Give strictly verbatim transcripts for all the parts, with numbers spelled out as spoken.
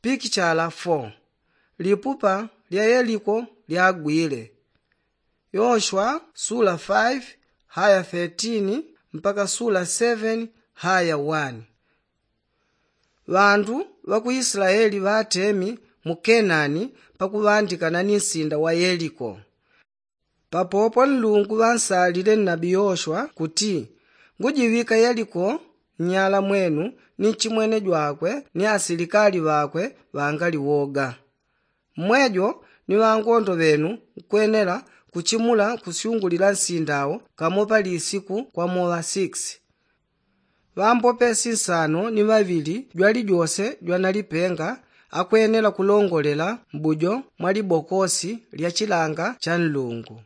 Pikichala fo. Lipupa lya yeliko lyagwile. Yoshwa sula faifi haya thirteen mpaka sula seven haya one. Ŵandu ŵa ku isilaeli ŵatemi mu kenani pakuŵandikana ni nsinda wa yeliko. Papopo nlungu ŵansalile nnabi yoshwa kuti, ngujiŵika yeliko nnyala mwenu ni nchimwene jwakwe ni asilikali ŵakwe ŵangali woga. Mmwejo ni ŵangondo ŵenu nkwenela kuchimula kusyungulila nsinda wo kamo pali isiku kwamoŵa six. Ŵambopesi nsano ni ŵaŵili jwalijose jwanalipenga akwenela kulongolela mbujo mwa libokosi lya chilanga cha nlungu.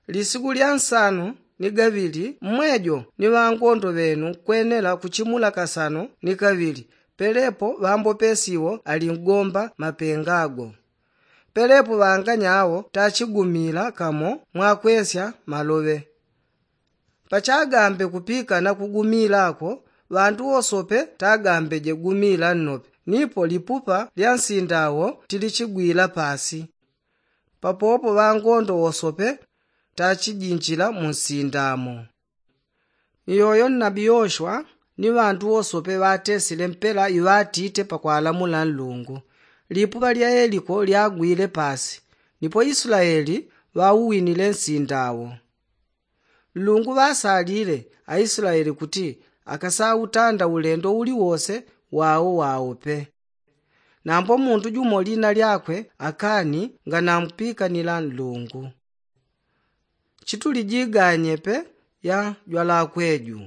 Lisiku lya nsano ni gaŵili mmwejo ni ŵangondo ŵenu nkwenela kuchimula kasano ni kaŵili. Pelepo ŵambopesi wo alingomba mapenga go. Pelepo ŵanganya wo tachigumila kamo mwakwesya maloŵe. Pachagambe kupika na kugumila ko ŵandu wosope tagambeje gumila nnope nipo lipupa lya nsinda wo tilichigwila pasi. Papopo ŵangondo wosope tachijinjila mu nsinda mo. Ni yoyo nnabi yoshwa ni ŵandu wosope ŵatesile mpela iŵatite pakwalamula nlungu. Lipupa lya yeliko lyagwile pasi nipo isilaeli ŵauwinile nsinda wo. Nlungu ŵasalile aisilaeli kuti akasautanda ulendo uliwose wao wao pe. Nambo mundu jumo lina lyakwe akani nganamupikanila nlungu. Chituli jiganye pe ya jwalakweju.